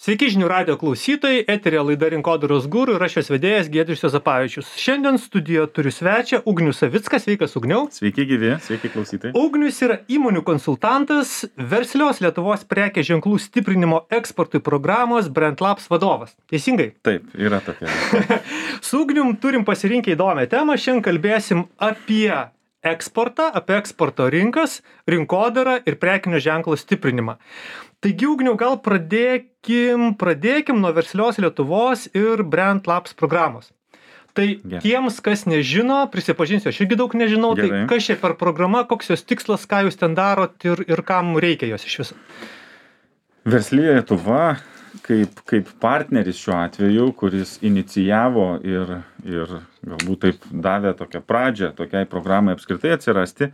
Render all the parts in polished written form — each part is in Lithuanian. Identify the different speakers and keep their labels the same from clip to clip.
Speaker 1: Sveiki žinių radijo klausytojai, eteryje laida Rinkodaros guru ir aš jos vedėjas Giedrius Juozapavičius. Šiandien studijoje turiu svečią Ugnių Savicką. Sveikas, Ugniau.
Speaker 2: Sveiki gyvi, sveiki klausytojai.
Speaker 1: Ugnius yra įmonių konsultantas, verslios Lietuvos prekės ženklų stiprinimo eksportui programos BrandLabs vadovas. Teisingai?
Speaker 2: Taip, yra tokia.
Speaker 1: Su Ugnium turim pasirinkę įdomią temą. Šiandien kalbėsim apie eksportą, apie eksporto rinkas, rinkodarą ir prekinio ženklo stiprinimą. Taigi, Ugniau, gal pradėkim nuo verslios Lietuvos ir BrandLabs programos. Tai tiems, kas nežino, prisipažinsiu, aš irgi daug nežinau,
Speaker 2: Gerai.
Speaker 1: Tai kas čia per programa, koks jos tikslas, ką jūs ten darot ir kam reikia jos iš viso.
Speaker 2: Versli Lietuva, kaip partneris šiuo atveju, kuris inicijavo ir galbūt taip davė tokią pradžią tokiai programai apskritai atsirasti,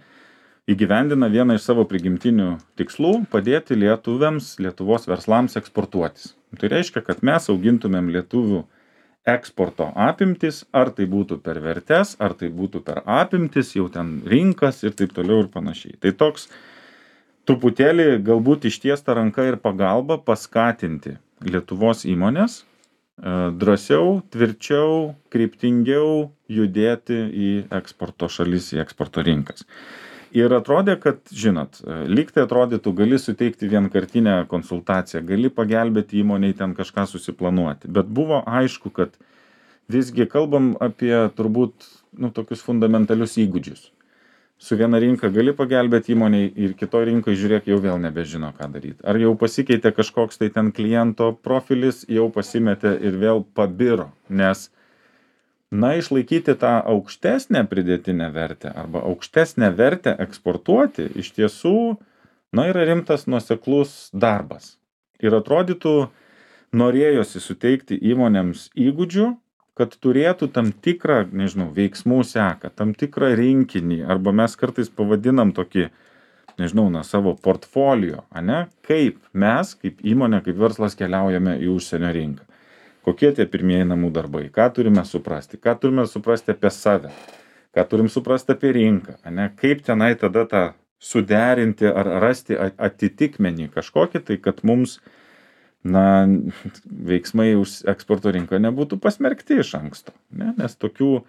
Speaker 2: įgyvendina vieną iš savo prigimtinių tikslų - padėti lietuviams, Lietuvos verslams eksportuotis. Tai reiškia, kad mes augintumėm lietuvių eksporto apimtis, ar tai būtų per vertes, ar tai būtų per apimtis, jau ten rinkas ir taip toliau ir panašiai. Tai toks truputėlį galbūt ištiesta ranka ir pagalba paskatinti Lietuvos įmonės drąsiau, tvirčiau, kryptingiau judėti į eksporto šalis, į eksporto rinkas. Ir atrodė, kad, žinot, lyg tai atrodytų, gali suteikti vienkartinę konsultaciją, gali pagelbėti įmoniai ten kažką susiplanuoti. Bet buvo aišku, kad visgi kalbam apie turbūt tokius fundamentalius įgūdžius. Su viena rinka gali pagelbėti įmoniai ir kitoj rinkai, žiūrėk, jau vėl nebežino, ką daryti. Ar jau pasikeitė kažkoks tai ten kliento profilis, jau pasimetė ir vėl pabiro, nes išlaikyti tą aukštesnę pridėtinę vertę arba aukštesnę vertę eksportuoti iš tiesų, yra rimtas nuoseklus darbas. Ir atrodytų, norėjosi suteikti įmonėms įgūdžių, kad turėtų tam tikrą, veiksmų seką, tam tikrą rinkinį, arba mes kartais pavadinam tokį, savo portfolio, kaip mes, kaip įmonė, kaip verslas keliaujame į užsienio rinką. Kokie tie pirmieji namų darbai, ką turime suprasti apie save, ką turim suprasti apie rinką, kaip tenai tada tą suderinti ar rasti atitikmenį kažkokį, tai kad mums, veiksmai už eksporto rinką nebūtų pasmerkti iš anksto, nes tokių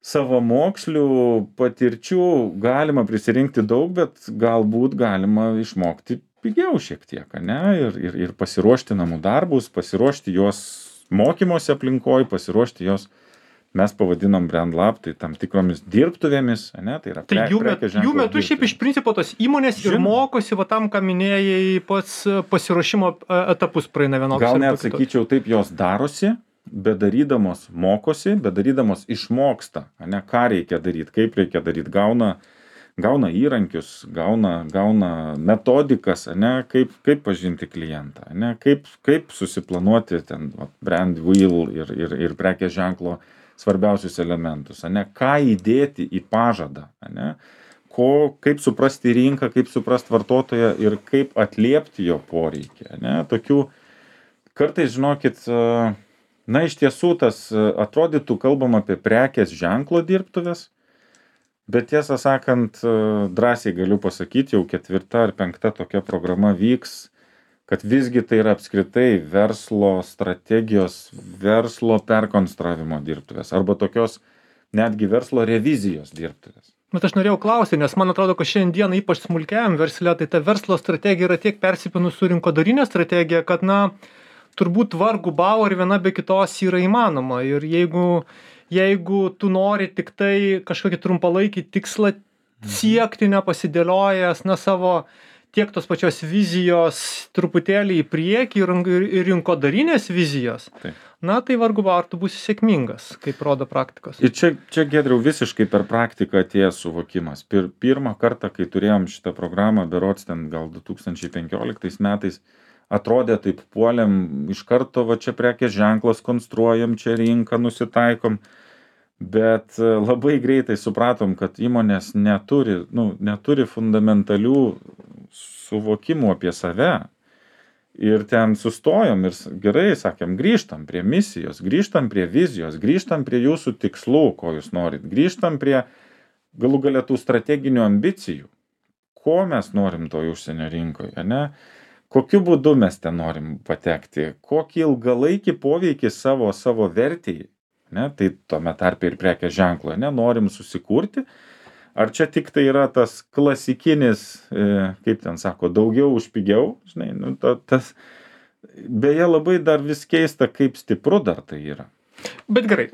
Speaker 2: savamokslių patirčių galima prisirinkti daug, bet galbūt galima išmokti pigiau šiek tiek, ir pasiruošti namų darbus, pasiruošti juos mokymosi aplinkoj, pasiruošti juos, mes pavadinom BrandLab, tai tam tikromis dirbtuvėmis, tai yra prekės ženklo.
Speaker 1: Jų metu šiaip iš principo tos įmonės ir mokosi, tam, ką minėjai, pats pasiruošimo etapus praeina vienokius.
Speaker 2: Gal net sakyčiau, taip jos darosi, bedarydamos mokosi, bedarydamos išmoksta, ką reikia daryti, kaip reikia daryti, gauna įrankius, gauna metodikas, kaip pažinti klientą, kaip susiplanuoti ten brand wheel ir prekės ženklo svarbiausius elementus, ką įdėti į pažadą, kaip suprasti rinką, kaip suprasti vartotoją ir kaip atliepti jo poreikį. Tokių kartais, žinokit, iš tiesų tas atrodytų, kalbam apie prekės ženklo dirbtuves, bet tiesą sakant, drąsiai galiu pasakyti, jau 4. ar 5. tokia programa vyks, kad visgi tai yra apskritai verslo strategijos, verslo perkonstravimo dirbtuvės arba tokios netgi verslo revizijos dirbtuvės.
Speaker 1: Bet aš norėjau klausyti, nes man atrodo, kad šiandien ypač smulkiajam versle, tai ta verslo strategija yra tiek persipinus su rinkodarinė strategija, kad turbūt vargu bau ar viena be kitos yra įmanoma. Ir jeigu tu nori tik tai kažkokį trumpalaikį tikslą siekti, nepasidėliojęs savo tiek tos pačios vizijos truputėlį į priekį ir rinkodarinės vizijos, tai vargu bau ar tu būsi sėkmingas, kaip rodo praktikos.
Speaker 2: Ir čia Giedriau, visiškai per praktiką atėjęs suvokimas. Pirmą kartą, kai turėjom šitą programą, berods ten gal 2015 metais, atrodė taip puolėm, iš karto čia prekės ženklas konstruojam, čia rinką nusitaikom, bet labai greitai supratom, kad įmonės neturi fundamentalių suvokimų apie save. Ir ten sustojom ir gerai, sakėm, grįžtam prie misijos, grįžtam prie vizijos, grįžtam prie jūsų tikslų, ko jūs norit, grįžtam prie galų gale tų strateginių ambicijų, ko mes norim toj užsienio rinkoje, kokiu būdu mes ten norim patekti, kokį ilgalaikį poveikį savo vertėjai, ne, tai tome tarpe ir prekės ženklo, ne, norim susikurti, ar čia tik tai yra tas klasikinis, kaip ten sako, daugiau už pigiau, žinai, nu, tas, beje, labai dar vis keista, kaip stipru dar tai yra.
Speaker 1: Bet gerai,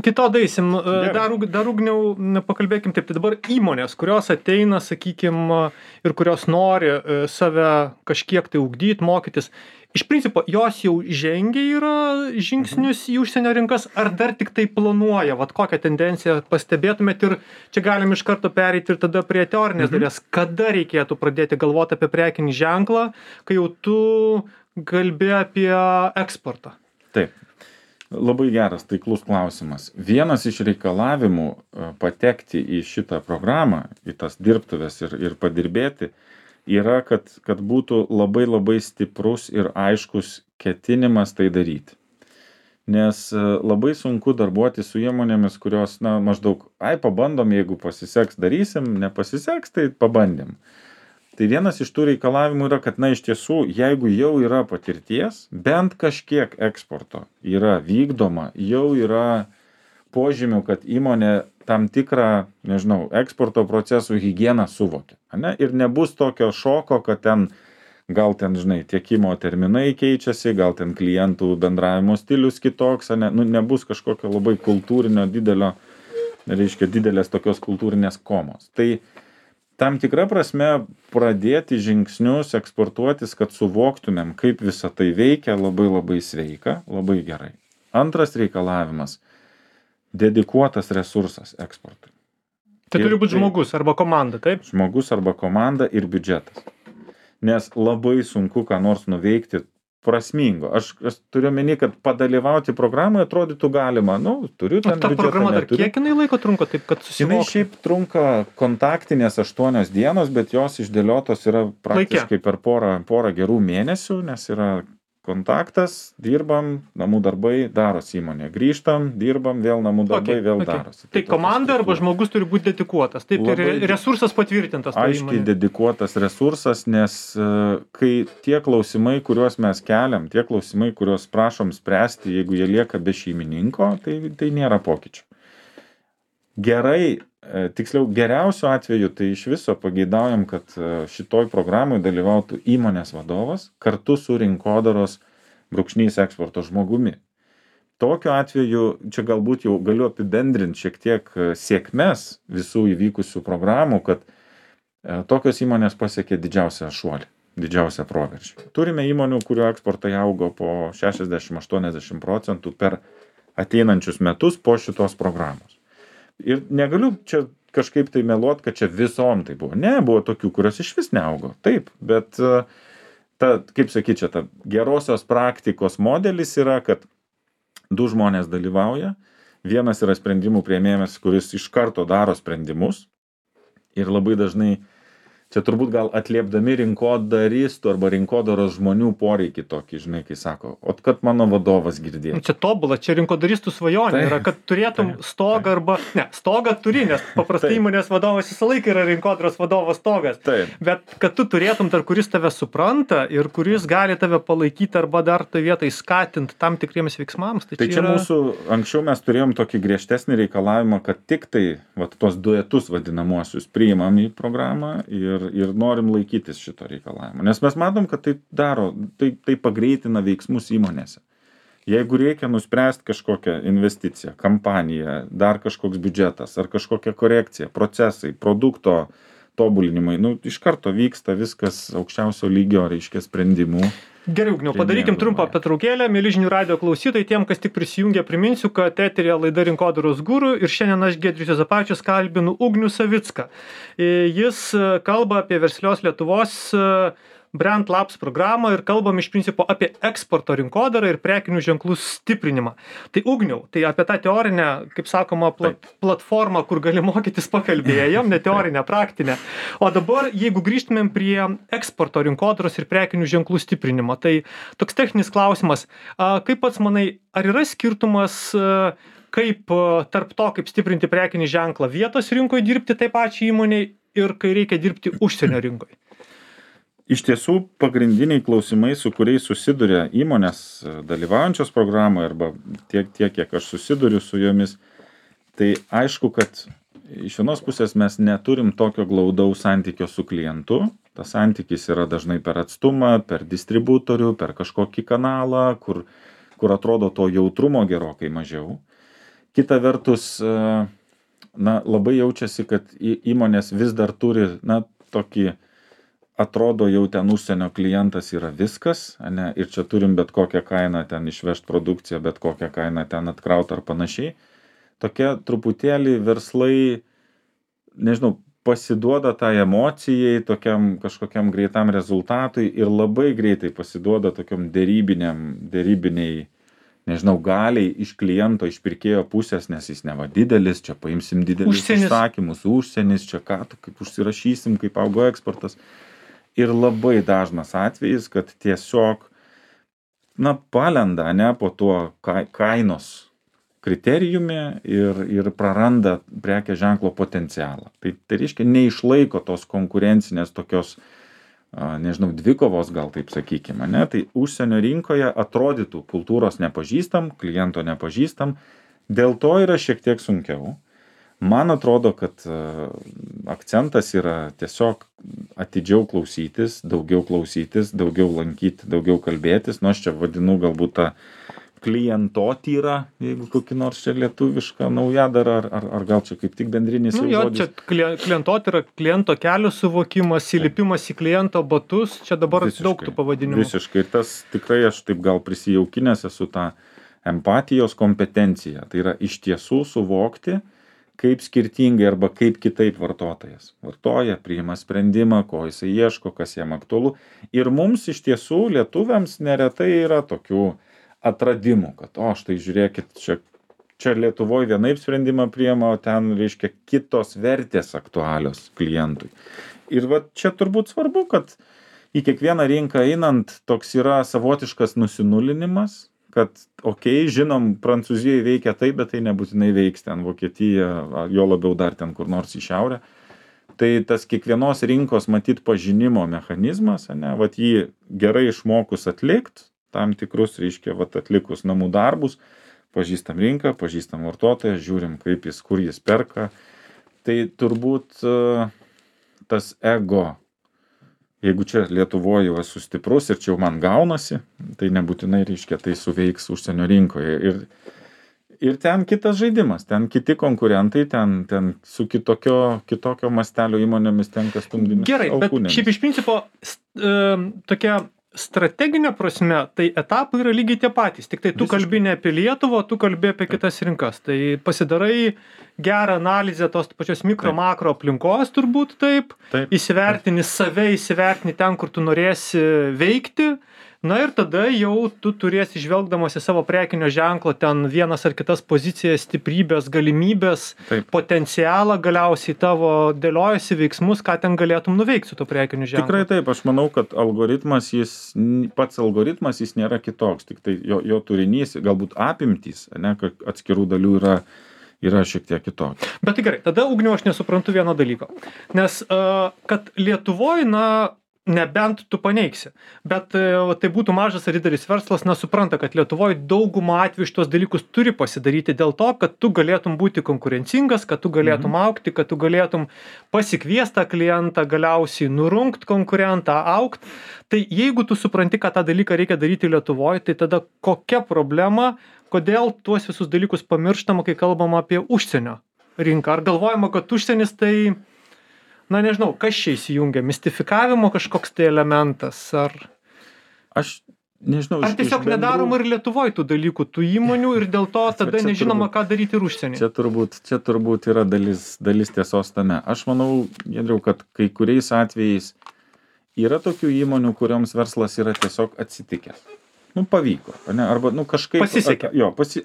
Speaker 1: kito daisim, dar Ugniau pakalbėkim taip, tai dabar įmonės, kurios ateina, sakykim, ir kurios nori save kažkiek tai ugdyti, mokytis, iš principo, jos jau žengia yra žingsnius į užsienio rinkas, ar dar tik tai planuoja, vat kokią tendenciją pastebėtumėt ir čia galim iš karto pereiti ir tada prie teorinės dalies, kada reikėtų pradėti galvoti apie prekinį ženklą, kai jau tu kalbi apie eksportą?
Speaker 2: Taip. Labai geras, taiklus klausimas. Vienas iš reikalavimų patekti į šitą programą, į tas dirbtuves ir padirbėti, yra, kad būtų labai stiprus ir aiškus ketinimas tai daryti. Nes labai sunku darbuoti su įmonėmis, kurios, na, maždaug, pabandom, jeigu pasiseks, darysim, nepasiseks, tai pabandėm. Tai vienas iš tų reikalavimų yra, kad, na, iš tiesų, jeigu jau yra patirties, bent kažkiek eksporto yra vykdoma, jau yra požymių, kad įmonė tam tikrą, nežinau, eksporto procesų higieną suvokia, ne? Ir nebus tokio šoko, kad gal ten, žinai, tiekimo terminai keičiasi, gal ten klientų bendravimo stilius kitoks, ne? Nu, nebus kažkokio labai kultūrinio didelės tokios kultūrinės komos. Tai tam tikra prasme pradėti žingsnius eksportuotis, kad suvoktumėm, kaip visa tai veikia, labai sveika, labai gerai. Antras reikalavimas – dedikuotas resursas eksportui.
Speaker 1: Tai turi būti žmogus arba komanda, taip?
Speaker 2: Žmogus arba komanda ir biudžetas. Nes labai sunku ką nors nuveikti prasmingo. Aš turiu omeny, kad padalyvauti programoje atrodytų galima. Nu, turiu ten biudžetą.
Speaker 1: Ta programa dar kiek jinai laiko trunka, taip kad susivokti?
Speaker 2: Jinai šiaip trunka kontaktinės 8 dienos, bet jos išdėliotos yra praktiškai per porą gerų mėnesių, nes yra kontaktas, dirbam, namų darbai, darosi įmonė. Grįžtam, dirbam, vėl namų darbai, vėl darosi.
Speaker 1: Tai komanda arba žmogus turi būti dedikuotas. Taip, ir resursas patvirtintas.
Speaker 2: Aiškiai dedikuotas resursas, nes kai tie klausimai, kuriuos mes keliam, tie klausimai, kuriuos prašom spręsti, jeigu jie lieka be šeimininko, tai nėra pokyčių. Gerai, tiksliau geriausiu atveju, tai iš viso pageidaujam, kad šitoj programai dalyvautų įmonės vadovas kartu su rinkodaros _eksporto žmogumi. Tokiu atveju, čia galbūt jau galiu apibendrinti šiek tiek sėkmes visų įvykusių programų, kad tokios įmonės pasiekė didžiausią šuolį, didžiausią proveržį. Turime įmonių, kurių eksportai augo po 60-80% per ateinančius metus po šitos programos. Ir negaliu čia kažkaip tai meluot, kad čia visom tai buvo. Ne, buvo tokių, kurios iš vis neaugo. Taip, bet kaip sakyt, čia ta gerosios praktikos modelis yra, kad 2 žmonės dalyvauja. Vienas yra sprendimų priėmėjas, kuris iš karto daro sprendimus. Ir labai dažnai, čia turbūt gal atliepdami rinkodaristų arba rinkodaros žmonių poreikį tokį, žinai, kai sako, kad mano vadovas girdėjo.
Speaker 1: Čia tobula, čia rinkodaristų svajonė yra, kad turėtum stogą arba, ne, stogą turi, nes paprastai įmonės vadovas visą laiką yra rinkodaros vadovo stogas.
Speaker 2: Taip.
Speaker 1: Bet kad tu turėtum dar, kuris tave supranta ir kuris gali tave palaikyti arba dar tai vietai skatinti tam tikriems veiksmams.
Speaker 2: Tai čia yra... mūsų, anksčiau mes turėjom tokį griežtesnį reikalavimą, kad tik tai tos duetus vadinamuosius priimam į programą ir norim laikytis šito reikalavimo. Nes mes matom, kad tai pagreitina veiksmus įmonėse. Jeigu reikia nuspręsti kažkokią investiciją, kampaniją, dar kažkoks biudžetas ar kažkokia korekcija, procesai, produkto tobulinimai, iš karto vyksta viskas aukščiausio lygio, reiškia, sprendimų.
Speaker 1: Gerai, Ugniau, padarykim trumpą pertraukėlę. Mieli žinių radijo klausytojai, tiem, kas tik prisijungia, priminsiu, kad eteryje laida Rinkodaros guru ir šiandien aš, Giedrius Juozapavičius, kalbinu Ugnių Savicką. Jis kalba apie Verslios Lietuvos Brand Labs programą ir kalbam iš principo apie eksporto rinkodarą ir prekinių ženklų stiprinimą. Tai Ugniau, tai apie tą teorinę, kaip sakoma, platformą, kur gali mokytis, pakalbėjom, ne teorinę, praktinę. O dabar, jeigu grįžtumėm prie eksporto rinkodaros ir prekinių ženklų stiprinimo, tai toks techninis klausimas, kaip pats manai, ar yra skirtumas kaip tarp to, kaip stiprinti prekinį ženklą vietos rinkoje dirbti tai pačiai įmoniai ir kai reikia dirbti užsienio rinkoje?
Speaker 2: Iš tiesų, pagrindiniai klausimai, su kuriais susiduria įmonės dalyvaujančios programoje arba tiek, kiek aš susiduriu su jomis, tai aišku, kad iš vienos pusės mes neturim tokio glaudaus santykio su klientu. Tas santykis yra dažnai per atstumą, per distributorių, per kažkokį kanalą, kur atrodo to jautrumo gerokai mažiau. Kita vertus, labai jaučiasi, kad įmonės vis dar turi, tokį, atrodo jau ten užsienio klientas yra viskas, ane, ir čia turim bet kokią kainą ten išvežt produkciją, bet kokią kainą ten atkraut ar panašiai. Tokia truputėlį verslai, nežinau, pasiduoda tai emocijai, tokiam kažkokiam greitam rezultatui ir labai greitai pasiduoda tokiam dėrybiniai, nežinau, galiai iš kliento, iš pirkėjo pusės, nes jis neva didelis, čia paimsim didelius užsakymus, užsienis, čia ką, kaip užsirašysim, kaip augo eksportas. Ir labai dažnas atvejis, kad tiesiog, palenda, ne, po tuo kainos kriterijumi ir praranda prekės ženklo potencialą. Tai reiškia, neišlaiko tos konkurencinės tokios, nežinau, dvikovos gal taip sakykime, ne? Tai užsienio rinkoje atrodytų kultūros nepažįstam, kliento nepažįstam, dėl to yra šiek tiek sunkiau. Man atrodo, kad akcentas yra tiesiog atidžiau klausytis, daugiau lankyti, daugiau kalbėtis, aš čia vadinu galbūt tą klientotyrą, jeigu kokį nors čia lietuvišką naujadarą, ar gal čia kaip tik bendrinis žodis.
Speaker 1: Čia klientotyra, kliento kelio suvokimas, įlipimas į kliento batus, čia dabar daug tų pavadinimų.
Speaker 2: Visiškai, ir tas tikrai aš taip gal prisijaukinęs esu tą empatijos kompetenciją. Tai yra iš tiesų suvokti, kaip skirtingai arba kaip kitaip vartotojas vartoja, priima sprendimą, ko jisai ieško, kas jam aktualu. Ir mums iš tiesų lietuviams neretai yra tokių atradimų, kad štai žiūrėkit, čia Lietuvoje vienaip sprendimą priima, o ten, reiškia, kitos vertės aktualios klientui. Ir čia turbūt svarbu, kad į kiekvieną rinką einant toks yra savotiškas nusinulinimas, kad, žinom, Prancūzijoje veikia taip, bet tai nebūtinai veiks ten Vokietija, jo labiau dar ten kur nors į šiaurę. Tai tas kiekvienos rinkos matyt pažinimo mechanizmas, ane, jį gerai išmokus atlikt, tam tikrus, reiškia, atlikus namų darbus, pažįstam rinką, pažįstam vartotoją, žiūrim, kaip jis, kur jis perka. Tai turbūt tas ego, jeigu čia Lietuvoje esu stiprus ir čia jau man gaunasi, tai nebūtinai, reiškia, tai suveiks užsienio rinkoje. Ir ten kitas žaidimas, ten kiti konkurentai, ten su kitokio mastelio įmonėmis tenka stumdyti.
Speaker 1: Gerai, bet šiaip iš principo tokia strateginė prasme, tai etapai yra lygiai tie patys, tik tai tu kalbi ne apie Lietuvą, tu kalbi apie kitas rinkas. Tai pasidarai gerą analizę tos pačios mikro-makro aplinkos turbūt taip. Įsivertini save, įsivertini ten, kur tu norėsi veikti. Ir tada jau tu turėsi žvelgdamas į savo prekinio ženklo ten vienas ar kitas pozicijas, stiprybės, galimybės, potencialą, galiausiai tavo dėliojasi veiksmus, ką ten galėtum nuveikti su to prekiniu ženklu.
Speaker 2: Tikrai taip, aš manau, kad pats algoritmas jis nėra kitoks, tik tai jo turinys, galbūt apimtys, ne, atskirų dalių yra šiek tiek kitoks.
Speaker 1: Bet tai gerai, tada Ugniau aš nesuprantu vieno dalyko, nes kad Lietuvoje, nebent tu paneigsi, bet tai būtų mažas ar didelis verslas, supranta, kad Lietuvoje daugumą atvejų šitos dalykus turi pasidaryti dėl to, kad tu galėtum būti konkurencingas, kad tu galėtum augti, kad tu galėtum pasikviesti tą klientą, galiausiai nurungt konkurentą, augt. Tai jeigu tu supranti, kad tą dalyką reikia daryti Lietuvoje, tai tada kokia problema, kodėl tuos visus dalykus pamirštama, kai kalbama apie užsienio rinką? Ar galvojama, kad užsienis tai nežinau, kas čia įsijungia, mistifikavimo kažkoks tai elementas, ar...
Speaker 2: Aš nežinau...
Speaker 1: Ar tiesiog nedaroma ir Lietuvoje tų dalykų, tų įmonių ir dėl to tada nežinoma, ką daryti ir užsienį.
Speaker 2: Čia turbūt yra dalis tiesos tame. Aš manau, Giedriau, kad kai kuriais atvejais yra tokių įmonių, kurioms verslas yra tiesiog atsitikęs. Pavyko, ne? Arba kažkaip...
Speaker 1: Pasisekė.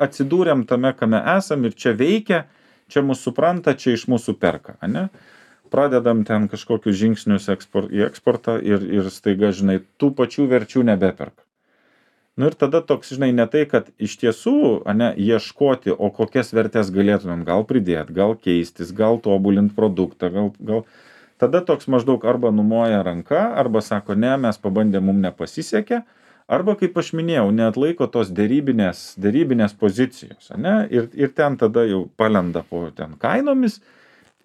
Speaker 2: Atsidūrėm tame, kame esam ir čia veikia, čia mūsų supranta, čia iš mūsų perka, ne? Pradedam ten kažkokius žingsnius į eksportą ir staiga, žinai, tų pačių verčių nebeperka. Ir tada toks, žinai, ne tai, kad iš tiesų, ieškoti, o kokias vertės galėtumėm gal pridėti, gal keistis, gal tobulinti produktą, gal tada toks maždaug arba numoja ranka, arba sako, ne, mes pabandėm, mums nepasisekė, arba, kaip aš minėjau, neatlaiko tos dėrybinės pozicijos, ane? Ir ten tada jau palenda po ten kainomis,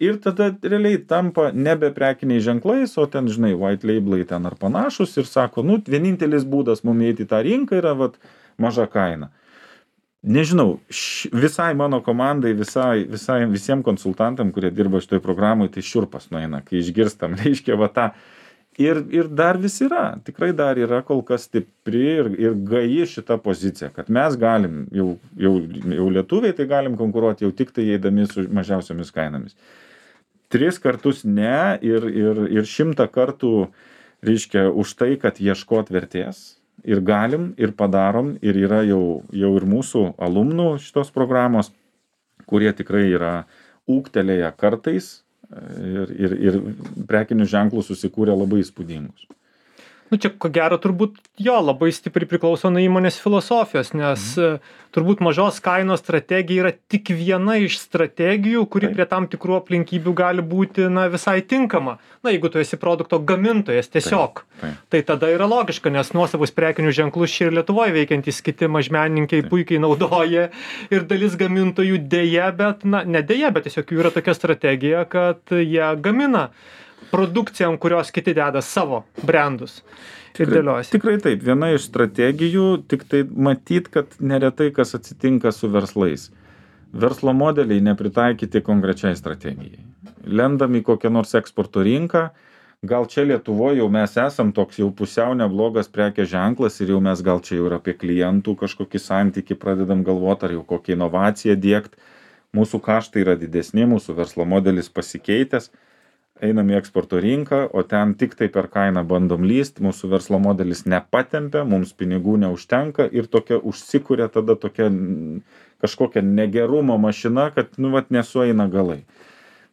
Speaker 2: ir tada realiai tampa nebe prekiniai ženklais, o ten, žinai, white labelai ten ar panašus, ir sako, nu, vienintelis būdas mums eiti į tą rinką yra, vat, maža kaina. Nežinau, visai mano komandai, visiems konsultantam, kurie dirba šitoj programai, tai šiurpas nueina, kai išgirstam, reiškia, va tą. Ir dar vis yra, tikrai dar yra kol kas stipri ir gaji šita pozicija, kad mes galim, jau lietuviai tai galim konkuruoti jau tik tai eidami su mažiausiomis kainomis. 3 kartus ne ir 100 kartų, reiškia, už tai, kad ieškot vertės. Ir galim, ir padarom, ir yra jau ir mūsų alumnų šitos programos, kurie tikrai yra ūgtelėję kartais ir prekinių ženklų susikūrė labai įspūdingus.
Speaker 1: Nu, čia, ko gero, turbūt jo labai stipriai priklauso nuo įmonės filosofijos, nes turbūt mažos kainos strategija yra tik viena iš strategijų, kuri prie tam tikrų aplinkybių gali būti, na, visai tinkama. Na, jeigu tu esi produkto gamintojas tiesiog, tai tada yra logiška, nes nuosavus prekinių ženklus čia ir Lietuvoje veikiantys kiti mažmenininkai puikiai naudoja ir dalis gamintojų dėja, bet, na, ne dėja, bet tiesiog jų yra tokia strategija, kad jie gamina produkciją, ant kurios kiti deda savo brandus ir dėliojasi.
Speaker 2: Tikrai taip, viena iš strategijų, tik tai matyt, kad neretai kas atsitinka su verslais. Verslo modeliai nepritaikyti konkrečiai strategijai. Lendam į kokią nors eksporto rinką, gal čia Lietuvoje jau mes esam toks jau pusiau neblogas prekės ženklas ir jau mes gal čia jau ir apie klientų kažkokį santykį pradedam galvoti, ar jau kokią inovaciją diegt. Mūsų kaštai yra didesni, mūsų verslo modelis pasikeitęs. Einam į eksporto rinką, o ten tik tai per kainą bandom lyst, mūsų verslo modelis nepatempia, mums pinigų neužtenka ir tokia užsikūrė tada tokia kažkokia negerumo mašina, kad, nu, vat, nesueina galai.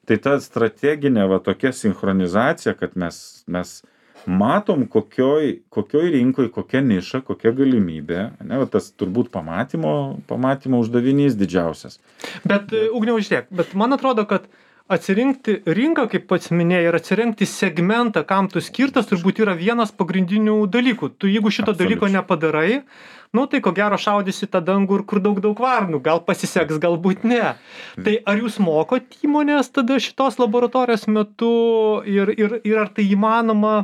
Speaker 2: Tai ta strateginė, va, tokia sinchronizacija, kad mes matom, kokioj rinkoj, kokia niša, kokia galimybė, ne, va, tas turbūt pamatymo uždavinys didžiausias.
Speaker 1: Bet, Ugniau, žiūrėk, bet man atrodo, kad atsirinkti rinką, kaip pats minėjai, ir atsirinkti segmentą, kam tu skirtas, turbūt yra vienas pagrindinių dalykų. Tu jeigu šito dalyko nepadarai, nu tai ko gero šaudysi tą dangų, kur daug varnų, gal pasiseks, galbūt ne. Tai ar jūs mokot įmonės tada šitos laboratorijos metu ir ar tai įmanoma,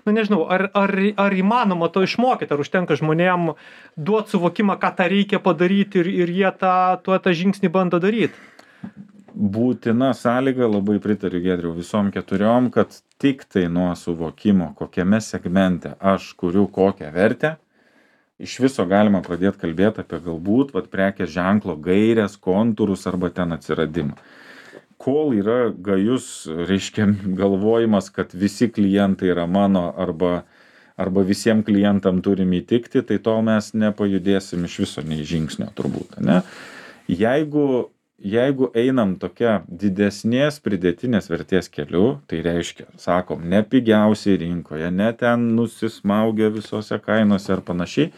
Speaker 1: na nežinau, ar įmanoma to išmokyti, ar užtenka žmonėm duoti suvokimą, ką tą reikia padaryti ir jie tą žingsnį bando daryti?
Speaker 2: Būtina sąlyga, labai pritariu Giedriau visom 4, kad tik tai nuo suvokimo, kokiame segmente aš kuriu kokią vertę, iš viso galima pradėti kalbėti apie galbūt prekės ženklo gairės, kontūrus arba ten atsiradimą. Kol yra gajus, reiškia, galvojimas, kad visi klientai yra mano arba visiems klientam turim įtikti, tai tol mes nepajudėsim iš viso nei žingsnio turbūt, ne? Jeigu einam tokia didesnės pridėtinės vertės keliu, tai reiškia, sakom, ne pigiausiai rinkoje, ne ten nusismaugia visose kainose ar panašiai,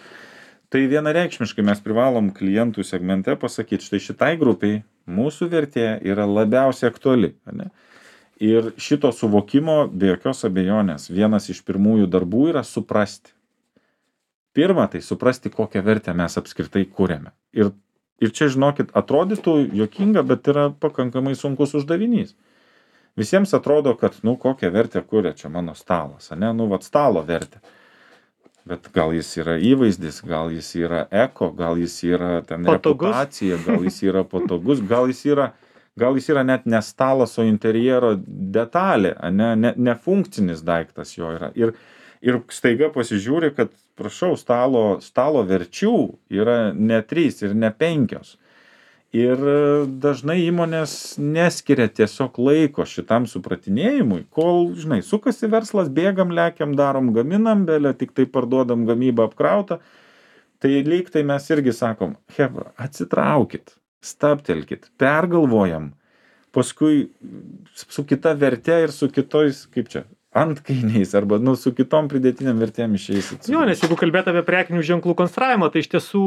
Speaker 2: tai vienareikšmiškai mes privalom klientų segmente pasakyti, štai šitai grupiai mūsų vertė yra labiausiai aktuali, ne? Ir šito suvokimo, be jokios abejonės, vienas iš pirmųjų darbų yra suprasti. Pirma, tai suprasti, kokią vertę mes apskritai kuriame. Ir čia, žinokit, atrodytų juokinga, bet yra pakankamai sunkus uždavinys. Visiems atrodo, kad, nu, kokią vertę kuria čia mano stalas, ne? Nu, vat stalo vertė. Bet gal jis yra įvaizdis, gal jis yra eko, gal jis yra ten
Speaker 1: patogus.
Speaker 2: Reputacija, gal jis yra patogus, gal jis yra net ne stalas, o interjero detalė, ne funkcinis daiktas jo yra. Ir staiga pasižiūri, kad, prašau, stalo verčių yra ne 3 ir ne 5. Ir dažnai įmonės neskiria tiesiog laiko šitam supratinėjimui, kol, žinai, sukasi verslas, bėgam, lekiam, darom, gaminam, belė, tik tai parduodam gamybą apkrautą. Tai lyg tai mes irgi sakom, hebra, atsitraukit, stabtelkit, pergalvojam, paskui su kita verte ir su kitojais, kaip čia, antkainiais arba, nu, su kitom pridėtiniam vertėm išeisit.
Speaker 1: Jo, nes jeigu kalbėt apie prekinių ženklų konstravimą, tai iš tiesų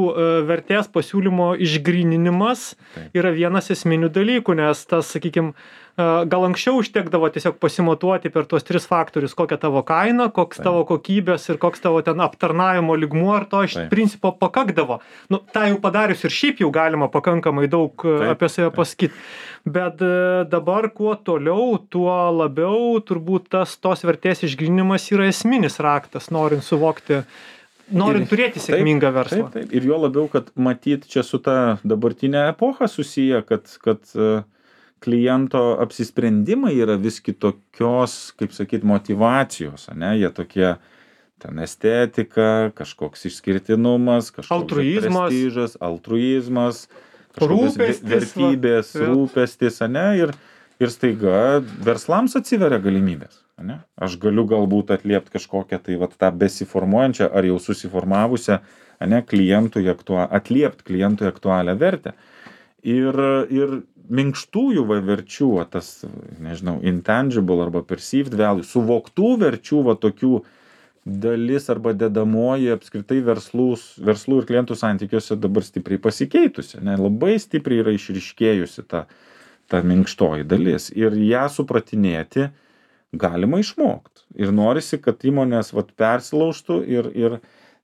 Speaker 1: vertės pasiūlymo išgryninimas yra vienas esminių dalykų, nes tas, sakykime, gal anksčiau užtekdavo tiesiog pasimatuoti per tuos 3 faktorius, kokia tavo kaina, koks tavo kokybės ir koks tavo ten aptarnavimo lygmuo, ar to iš principo pakakdavo. Nu, tą jau padarius ir šiaip jau galima pakankamai daug apie save pasakyti. Bet dabar kuo toliau, tuo labiau turbūt tos vertės išgrinimas yra esminis raktas, norint suvokti, norint turėti sėkmingą verslą.
Speaker 2: Taip. Ir jo labiau, kad matyt čia su ta dabartinė epocha susiję, kad kliento apsisprendimai yra vis kitokios, kaip sakyt, motyvacijos, ane? Jie tokie ten estetika, kažkoks išskirtinumas, kažkoks prestižas, altruizmas, kažkokios vertybės, rūpestis, ane? Ir staiga verslams atsiveria galimybės, ane? Aš galiu galbūt atliept kažkokią tai vat tą besiformuojančią ar jau susiformavusią, ane, atliept klientui aktualią vertę. Ir minkštųjų verčių, tas, nežinau, intangible arba perceived value, suvoktų verčių, tokių dalis arba dedamoji apskritai verslų ir klientų santykiuose dabar stipriai pasikeitusi, ne? Labai stipriai yra išryškėjusi ta minkštoji dalis. Ir ją supratinėti galima išmokti. Ir norisi, kad įmonės persilaužtų ir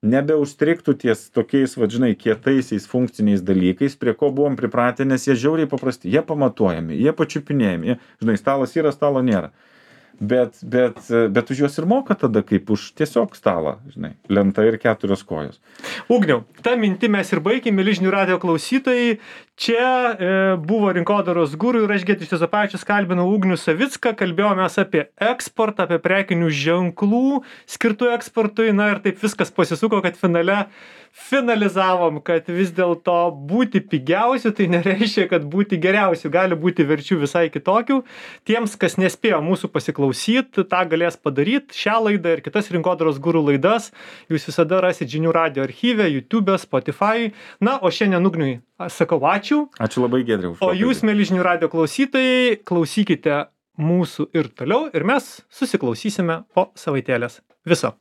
Speaker 2: nebeužstrigtų ties tokiais, žinai, kietaisiais funkciniais dalykais, prie ko buvom pripratę, nes jie žiauriai paprasti, jie pamatuojami, jie pačiupinėjami, žinai, stalas yra, stalo nėra. Bet už juos ir moka tada, kaip už tiesiog stalą, žinai, lenta ir 4 kojos.
Speaker 1: Ugniau, tą mintį mes ir baigėme, mieli žinių radijo klausytojai. Čia buvo Rinkodaros guru ir aš Giedrius Juozapavičius kalbinau Ugnių Savicką, kalbėjomės apie eksportą, apie prekinių ženklų skirtų eksportui, na ir taip viskas pasisuko, kad finalizavom, kad vis dėlto būti pigiausiu, tai nereiškia, kad būti geriausiu, gali būti verčių visai kitokių. Tiems, kas nespėjo mūsų pasiklausyti, tą galės padaryti. Šią laidą ir kitas Rinkodaros guru laidas jūs visada rasit žinių radijo archyve, YouTube, Spotify. Na, o šiandien Ugniui sakau ačiū.
Speaker 2: Ačiū labai, Giedriau.
Speaker 1: O jūs, mieli žinių radijo klausytojai, klausykite mūsų ir toliau ir mes susiklausysime po savaitėlės. Viso.